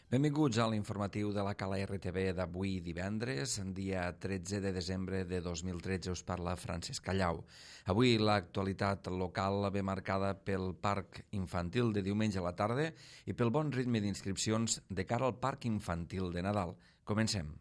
Benvinguts a l'informatiu de la Cala RTV d'avui divendres, dia 13 de desembre de 2013. Us parla Francesc Callau. Avui l'actualitat local ve marcada pel parc infantil de diumenge a la tarda i pel bon ritme d'inscripcions de cara al parc infantil de Nadal. Comencem.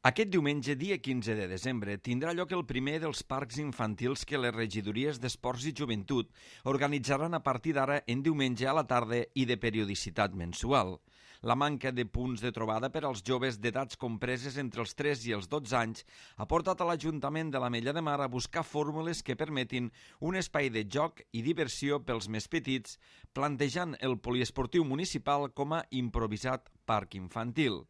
Aquest diumenge, dia 15 de desembre, tindrà lloc el primer dels parcs infantils que les regidories d'Esports i Joventut organitzaran a partir d'ara en diumenge a la tarda i de periodicitat mensual. La manca de punts de trobada per als joves d'edats compreses entre els 3 i els 12 anys ha portat a l'Ajuntament de l'Ametlla de Mar a buscar fórmules que permetin un espai de joc i diversió pels més petits, plantejant el poliesportiu municipal com a improvisat parc infantil.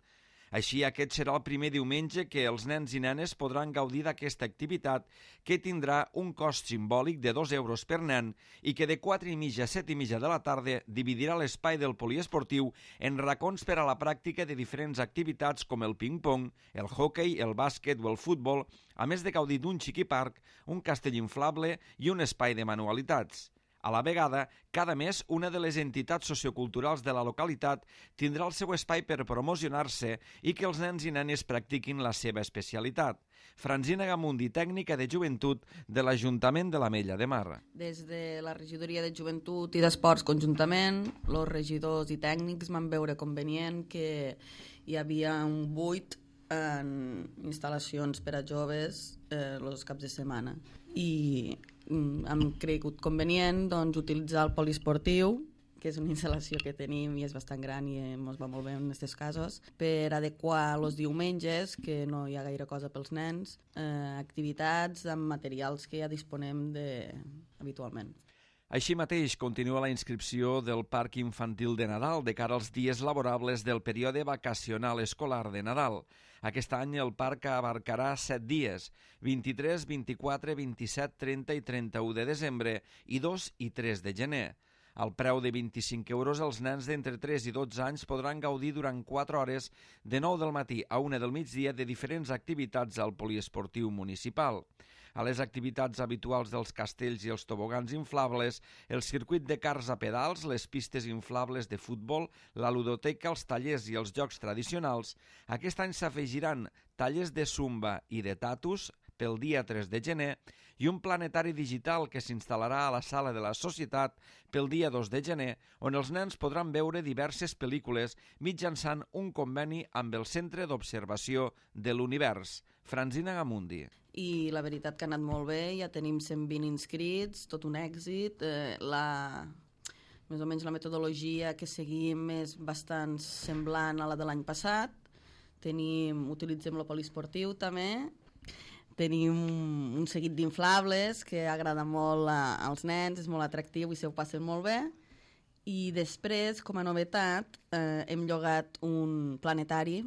Així, aquest serà el primer diumenge que els nens i nenes podran gaudir d'aquesta activitat que tindrà un cost simbòlic de 2 euros per nen i que de 4:30 a 7:30 de la tarda dividirà l'espai del poliesportiu en racons per a la pràctica de diferents activitats com el ping-pong, el hoquei, el bàsquet o el futbol, a més de gaudir d'un xiquiparc, un castell inflable i un espai de manualitats. A la vegada, cada mes, una de les entitats socioculturals de la localitat tindrà el seu espai per promocionar-se i que els nens i nenes practiquin la seva especialitat. Franzina Gamundi, tècnica de joventut de l'Ajuntament de l'Ametlla de Mar. Des de la regidoria de joventut i d'esports conjuntament, els regidors i tècnics van veure convenient que hi havia un buit en instal·lacions per a joves els caps de setmana. I hem cregut convenient utilitzar el poliesportiu, que és una instal·lació que tenim i és bastant gran i ens va molt bé en aquests casos, per adequar els diumenges, que no hi ha gaire cosa pels nens, activitats amb materials que ja disponem habitualment. Així mateix, continua la inscripció del Parc Infantil de Nadal de cara als dies laborables del període vacacional escolar de Nadal. Aquest any el parc abarcarà 7 dies, 23, 24, 27, 30 i 31 de desembre i 2 i 3 de gener. Al preu de 25 euros, els nens d'entre 3 i 12 anys podran gaudir durant 4 hores de 9 del matí a 1 del migdia de diferents activitats al poliesportiu municipal. A les activitats habituals dels castells i els tobogans inflables, el circuit de cars a pedals, les pistes inflables de futbol, la ludoteca, els tallers i els jocs tradicionals, aquest any s'afegiran tallers de zumba i de tatus pel dia 3 de gener i un planetari digital que s'instal·larà a la sala de la Societat pel dia 2 de gener, on els nens podran veure diverses pel·lícules mitjançant un conveni amb el Centre d'Observació de l'Univers. Franzina Gamundi. I la veritat que ha anat molt bé, ja tenim 120 inscrits, tot un èxit. Més o menys la metodologia que seguim és bastant semblant a la de l'any passat. Utilitzem el poliesportiu també. Tenim un seguit d'inflables que agrada molt als nens, és molt atractiu i se ho passen molt bé. I després, com a novetat, hem llogat un planetari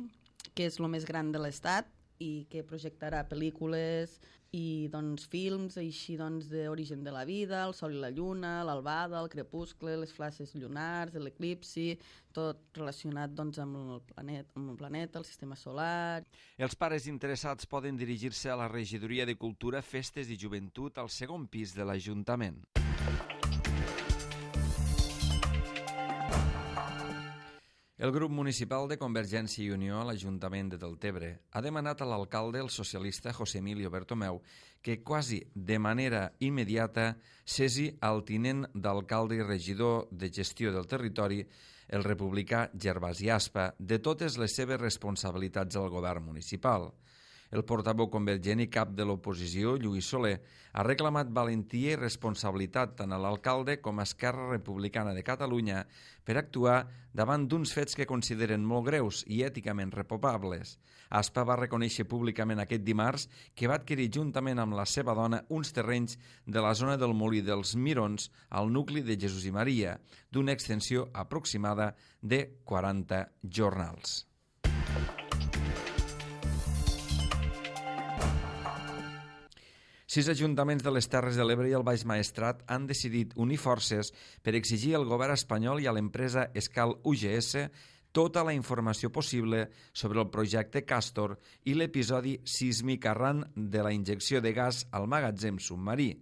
que és el més gran de l'estat i que projectarà pel·lícules i films així d'origen de la vida, el sol i la lluna, l'albada, el crepuscle, les flashes lunars, l'eclipsi, tot relacionat amb el planeta, el sistema solar. Els pares interessats poden dirigir-se a la Regidoria de Cultura, Festes i Joventut al segon pis de l'Ajuntament. El grup municipal de Convergència i Unió a l'Ajuntament de Deltebre ha demanat a l'alcalde, el socialista José Emilio Bertomeu, que quasi de manera immediata cessi al tinent d'alcalde i regidor de gestió del territori, el republicà Gervasi Aspa, de totes les seves responsabilitats al govern municipal. El portaveu convergent i cap de l'oposició, Lluís Soler, ha reclamat valentia i responsabilitat tant a l'alcalde com a Esquerra Republicana de Catalunya per actuar davant d'uns fets que consideren molt greus i èticament reprovables. Aspa va reconèixer públicament aquest dimarts que va adquirir juntament amb la seva dona uns terrenys de la zona del Molí dels Mirons al nucli de Jesús i Maria, d'una extensió aproximada de 40 jornals. 6 ajuntaments de les Terres de l'Ebre i el Baix Maestrat han decidit unir forces per exigir al govern espanyol i a l'empresa Escal UGS tota la informació possible sobre el projecte Castor i l'episodi sísmic arran de la injecció de gas al magatzem submarí.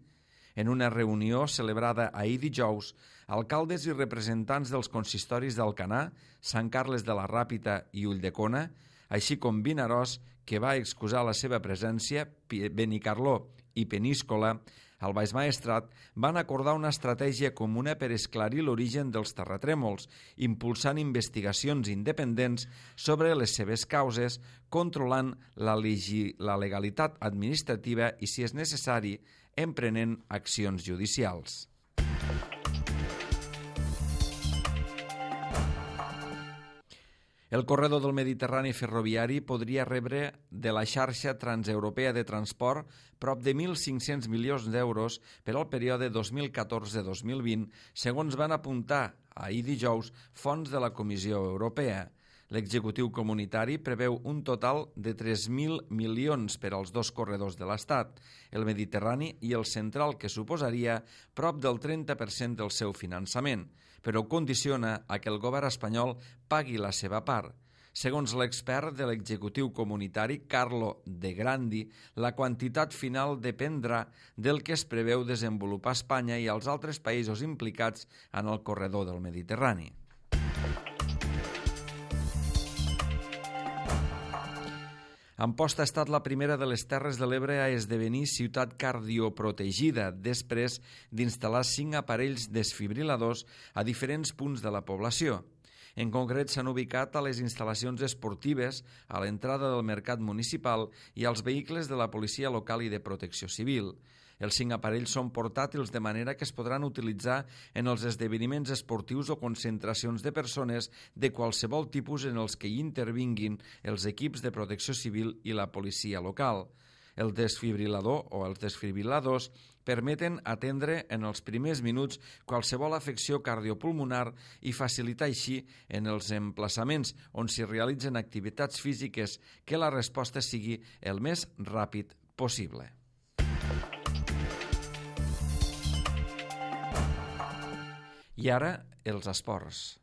En una reunió celebrada ahir dijous, alcaldes i representants dels consistoris d'Alcanar, Sant Carles de la Ràpita i Ulldecona, així com Vinaròs, que va excusar la seva presència, Benicarló i Peníscola, al Baix Maestrat, van acordar una estratègia comuna per esclarir l'origen dels terratrèmols, impulsant investigacions independents sobre les seves causes, controlant la legalitat administrativa i, si és necessari, emprenent accions judicials. El corredor del Mediterrani ferroviari podria rebre de la xarxa transeuropea de transport prop de 1.500 milions d'euros per al període 2014-2020, segons van apuntar ahir dijous fonts de la Comissió Europea. L'executiu comunitari preveu un total de 3.000 milions per als dos corredors de l'Estat, el Mediterrani i el central, que suposaria prop del 30% del seu finançament, però condiciona a que el govern espanyol pagui la seva part. Segons l'expert de l'executiu comunitari, Carlo De Grandi, la quantitat final dependrà del que es preveu desenvolupar a Espanya i als altres països implicats en el corredor del Mediterrani. Amposta ha estat la primera de les Terres de l'Ebre a esdevenir ciutat cardioprotegida després d'instal·lar 5 aparells desfibriladors a diferents punts de la població. En concret, s'han ubicat a les instal·lacions esportives, a l'entrada del mercat municipal i als vehicles de la policia local i de protecció civil. Els 5 aparells són portàtils de manera que es podran utilitzar en els esdeveniments esportius o concentracions de persones de qualsevol tipus en els que hi intervinguin els equips de protecció civil i la policia local. El desfibrilador o els desfibriladors permeten atendre en els primers minuts qualsevol afecció cardiopulmonar i facilitar així en els emplaçaments on s'hi realitzen activitats físiques que la resposta sigui el més ràpid possible. I ara, els esports.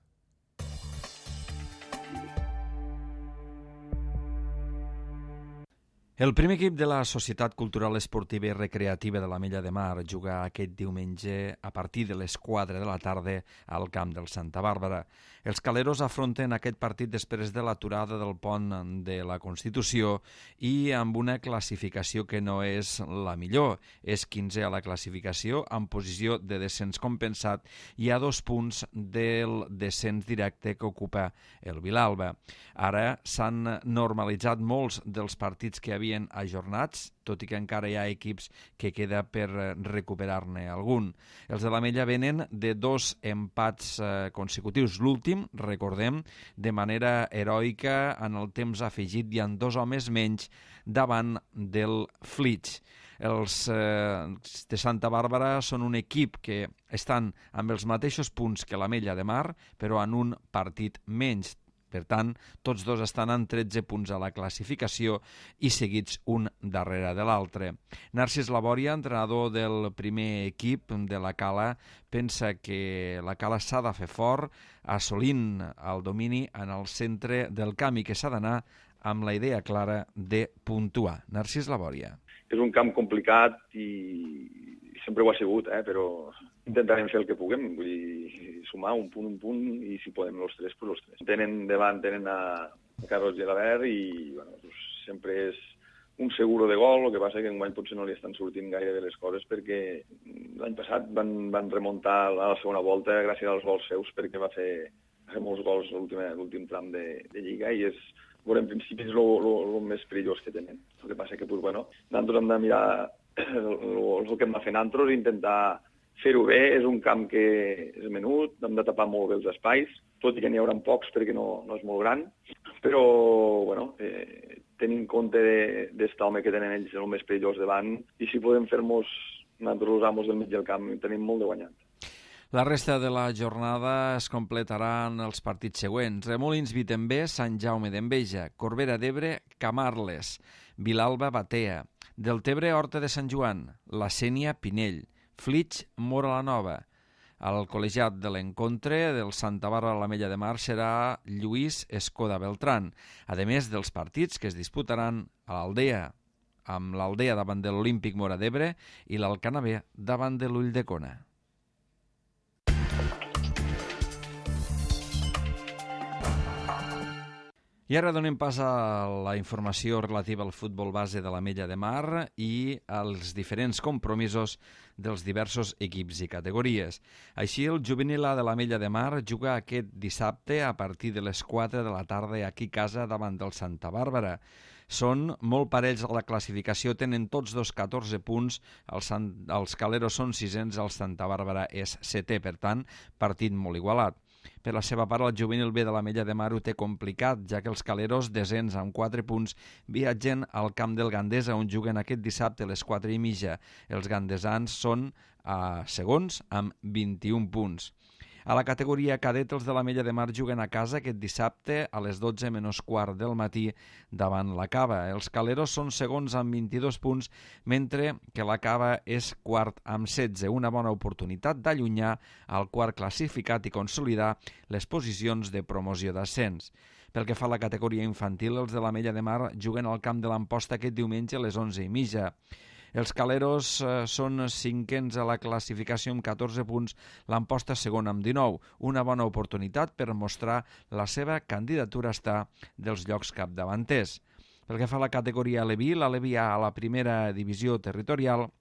El primer equip de la Societat Cultural Esportiva i Recreativa de l'Ametlla de Mar juga aquest diumenge a partir de les 4 de la tarda al camp del Santa Bàrbara. Els caleros afronten aquest partit després de l'aturada del pont de la Constitució i amb una classificació que no és la millor. És 15è a la classificació, en posició de descens compensat i a 2 punts del descens directe que ocupa el Vilalba. Ara s'han normalitzat molts dels partits que havien ajornats, tot i que encara hi ha equips que queda per recuperar-ne algun. Els de l'Ametlla venen de 2 empats consecutius. L'últim, recordem, de manera heroica en el temps afegit i amb 2 homes menys davant del Flix. Els de Santa Bàrbara són un equip que estan amb els mateixos punts que l'Ametlla de Mar, però en un partit menys. Per tant, tots dos estan en 13 punts a la classificació i seguits un darrere de l'altre. Narcís Labòria, entrenador del primer equip de la Cala, pensa que la Cala s'ha de fer fort, assolint el domini en el centre del camp i que s'ha d'anar amb la idea clara de puntuar. Narcís Labòria. És un camp complicat i sempre ho ha sigut, però intentarem fer el que puguem, vull dir, sumar un punt, i si podem els 3, doncs els 3. Tenen a Carlos Gelabert i bueno, sempre és un seguro de gol, el que passa que enguany potser no li estan sortint gaire de les coses perquè l'any passat van remuntar a la segona volta gràcies als gols seus perquè va fer molts gols l'últim tram de Lliga i en principi és el més perillós que tenen. El que passa que nosaltres hem de mirar el que hem de fer nosaltres i intentar fer-ho bé. És un camp que és menut, hem de tapar molt bé els espais, tot i que n'hi haurà pocs perquè no és molt gran, però tenint en compte d'estar home que tenen ells el més perillós davant i si podem fer-nos nosaltres els amos del mig del camp tenim molt de guanyat. La resta de la jornada es completaran els partits següents. Remolins Vitembé, Sant Jaume d'Enveja, Corbera d'Ebre, Camarles, Vilalba Batea, Deltebre Horta de Sant Joan, La Sénia Pinell, Flix Mora la Nova. El col·legiat de l'encontre del Santa Bàrbara a l'Ametlla de Mar serà Lluís Escoda Beltrán, a més dels partits que es disputaran a l'Aldea, amb l'Aldea davant de l'Olímpic Móra d'Ebre i l'Alcanar B davant de l'Ulldecona. I ara donem pas a la informació relativa al futbol base de l'Ametlla de Mar i als diferents compromisos dels diversos equips i categories. Així, el juvenil A de l'Ametlla de Mar juga aquest dissabte a partir de les 4 de la tarda aquí a casa davant del Santa Bàrbara. Són molt parells a la classificació, tenen tots dos 14 punts, els Caleros són sisens, el Santa Bàrbara és setè, per tant, partit molt igualat. Per la seva part, el juvenil B de l'Ametlla de Mar ho té complicat, ja que els Caleros, desens amb 4 punts, viatgen al camp del Gandesa, on juguen aquest dissabte a les 4:30. Els gandesans són segons amb 21 punts. A la categoria cadet, els de l'Ametlla de Mar juguen a casa aquest dissabte a les 12 menys quart del matí davant la Cava. Els Caleros són segons amb 22 punts, mentre que la Cava és quart amb 16. Una bona oportunitat d'allunyar el quart classificat i consolidar les posicions de promoció d'ascens. Pel que fa a la categoria infantil, els de l'Ametlla de Mar juguen al camp de l'Amposta aquest diumenge a les 11:30. Els Caleros són cinquens a la classificació amb 14 punts, l'Amposta segon amb 19. Una bona oportunitat per mostrar la seva candidatura a estar dels llocs capdavanters. Pel que fa a la categoria Aleví, l'Aleví A a la primera divisió territorial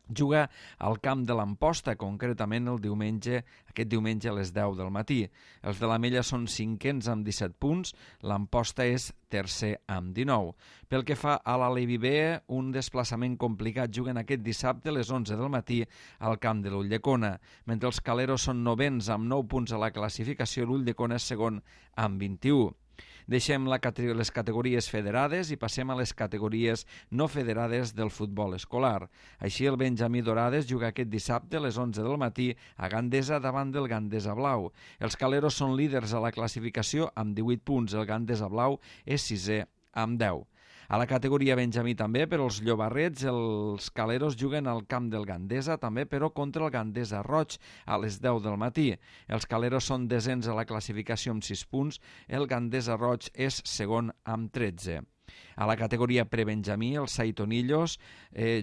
juga al camp de l'Amposta, concretament aquest diumenge a les 10 del matí. Els de l'Ametlla són cinquens amb 17 punts, l'Amposta és tercer amb 19. Pel que fa a l'Aleví B, un desplaçament complicat, juguen aquest dissabte a les 11 del matí al camp de l'Ulldecona. Mentre els Caleros són novens amb 9 punts a la classificació, l'Ulldecona és segon amb 21. Deixem les categories federades i passem a les categories no federades del futbol escolar. Així, el Benjamí Dorades juga aquest dissabte a les 11 del matí a Gandesa davant del Gandesa Blau. Els Caleros són líders a la classificació amb 18 punts. El Gandesa Blau és sisè amb 10. A la categoria Benjamí també, per als llobarrets, els Caleros juguen al camp del Gandesa, també, però contra el Gandesa Roig a les 10 del matí. Els Caleros són desens a la classificació amb 6 punts, el Gandesa Roig és segon amb 13. A la categoria prebenjamí, els Saitonillos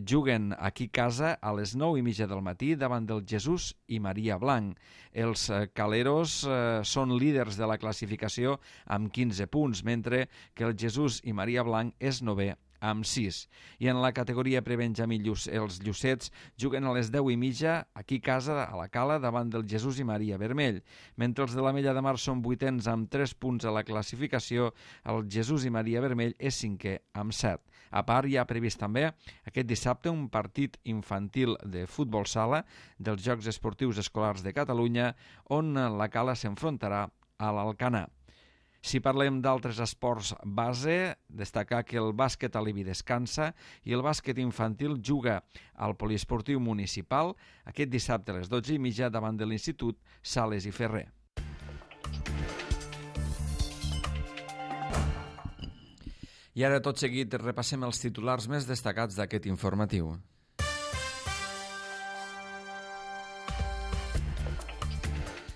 juguen aquí a casa a les 9:30 del matí davant del Jesús i Maria Blanc. Els Caleros són líders de la classificació amb 15 punts, mentre que el Jesús i Maria Blanc és novè amb 6. I en la categoria prebenjamí, els Llucets juguen a les 10:30 aquí a casa, a la Cala, davant del Jesús i Maria Vermell. Mentre els de l'Ametlla de Mar són vuitens amb 3 punts a la classificació, el Jesús i Maria Vermell és cinquè amb 7. A part, hi ha previst també aquest dissabte un partit infantil de futbol sala dels Jocs Esportius Escolars de Catalunya, on la Cala s'enfrontarà a l'Alcanar. Si parlem d'altres esports base, destacar que el bàsquet Aleví descansa i el bàsquet infantil juga al poliesportiu municipal aquest dissabte a les 12:30 davant de l'Institut Sales i Ferrer. I ara, tot seguit, repassem els titulars més destacats d'aquest informatiu.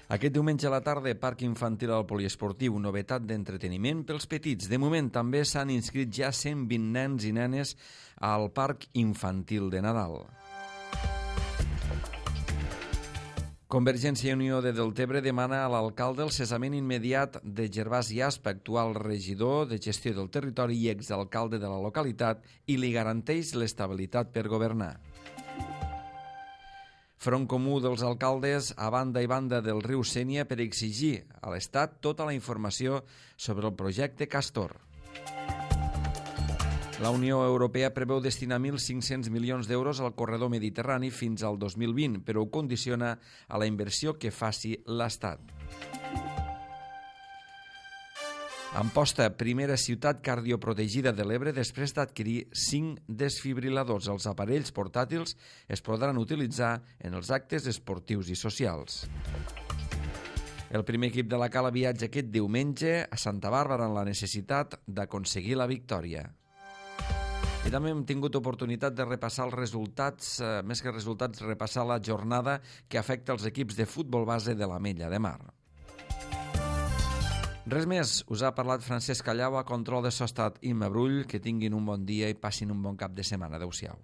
Aquest diumenge a la tarda, Parc Infantil al Poliesportiu, novetat d'entreteniment pels petits. De moment també s'han inscrit ja 120 nens i nenes al Parc Infantil de Nadal. Convergència i Unió de Deltebre demana a l'alcalde el cessament immediat de Gervasi Aspa, actual regidor de gestió del territori i exalcalde de la localitat, i li garanteix l'estabilitat per governar. Front comú dels alcaldes a banda i banda del riu Sénia per exigir a l'Estat tota la informació sobre el projecte Castor. La Unió Europea preveu destinar 1.500 milions d'euros al corredor mediterrani fins al 2020, però ho condiciona a la inversió que faci l'Estat. Amposta, primera ciutat cardioprotegida de l'Ebre després d'adquirir 5 desfibriladors. Els aparells portàtils es podran utilitzar en els actes esportius i socials. El primer equip de la Cala viatja aquest diumenge a Santa Bàrbara en la necessitat d'aconseguir la victòria. I també hem tingut oportunitat de repassar els resultats, més que resultats, repassar la jornada que afecta els equips de futbol base de l'Ametlla de Mar. Res més, us ha parlat Francesc Callau, a control de so ha estat Imma Brull. Que tinguin un bon dia i passin un bon cap de setmana. Adéu-siau.